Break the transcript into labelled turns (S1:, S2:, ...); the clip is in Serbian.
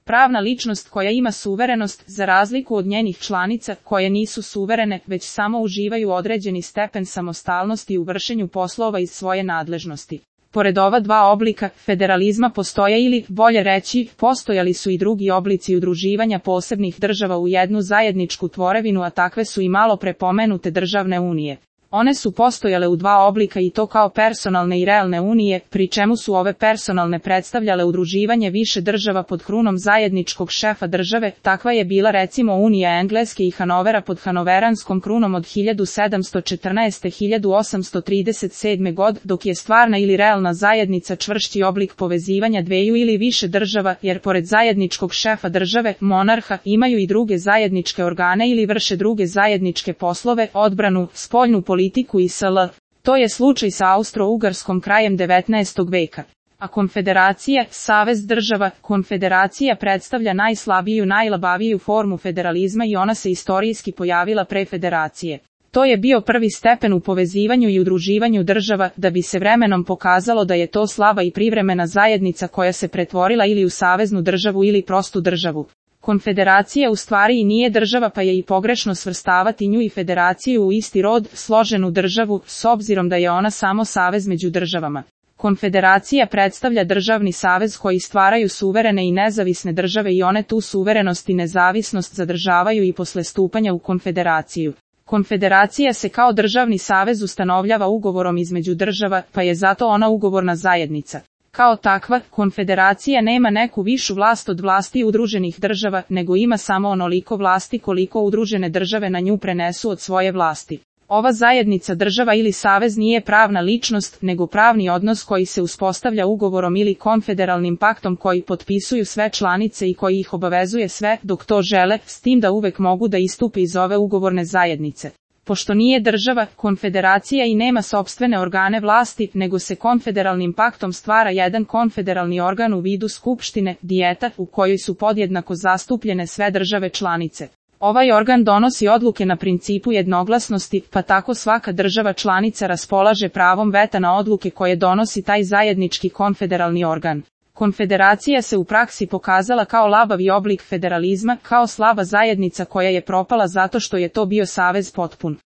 S1: pravna ličnost koja ima suverenost, za razliku od njenih članica, koje nisu suverene, već samo uživaju određeni stepen samostalnosti u vršenju poslova iz svoje nadležnosti. Pored ova dva oblika federalizma postoje ili, bolje reći, postojali su i drugi oblici udruživanja posebnih država u jednu zajedničku tvorevinu, a takve su i malo pre pomenute državne unije. One su postojale u dva oblika i to kao personalne i realne unije, pri čemu su ove personalne predstavljale udruživanje više država pod krunom zajedničkog šefa države. Takva je bila recimo Unija Engleske i Hanovera pod hanoveranskom krunom od 1714-1837 god, dok je stvarna ili realna zajednica čvršći oblik povezivanja dveju ili više država, jer pored zajedničkog šefa države, monarha, imaju i druge zajedničke organe ili vrše druge zajedničke poslove, odbranu, spoljnu politiku i sl. To je slučaj sa Austro-Ugarskom krajem 19. veka. A konfederacija, savez država, konfederacija predstavlja najslabiju, najlabaviju formu federalizma i ona se istorijski pojavila pre federacije. To je bio prvi stepen u povezivanju i udruživanju država, da bi se vremenom pokazalo da je to slaba i privremena zajednica koja se pretvorila ili u saveznu državu ili prostu državu. Konfederacija u stvari i nije država, pa je i pogrešno svrstavati nju i federaciju u isti rod, složenu državu, s obzirom da je ona samo savez među državama. Konfederacija predstavlja državni savez koji stvaraju suverene i nezavisne države i one tu suverenost i nezavisnost zadržavaju i posle stupanja u konfederaciju. Konfederacija se kao državni savez ustanovljava ugovorom između država, pa je zato ona ugovorna zajednica. Kao takva, konfederacija nema neku višu vlast od vlasti udruženih država, nego ima samo onoliko vlasti koliko udružene države na nju prenesu od svoje vlasti. Ova zajednica država ili savez nije pravna ličnost, nego pravni odnos koji se uspostavlja ugovorom ili konfederalnim paktom koji potpisuju sve članice i koji ih obavezuje sve, dok to žele, s tim da uvek mogu da istupe iz ove ugovorne zajednice. Pošto nije država, konfederacija i nema sopstvene organe vlasti, nego se konfederalnim paktom stvara jedan konfederalni organ u vidu skupštine, dijeta, u kojoj su podjednako zastupljene sve države članice. Ovaj organ donosi odluke na principu jednoglasnosti, pa tako svaka država članica raspolaže pravom veta na odluke koje donosi taj zajednički konfederalni organ. Konfederacija se u praksi pokazala kao labavi oblik federalizma, kao slaba zajednica koja je propala zato što je to bio savez potpun.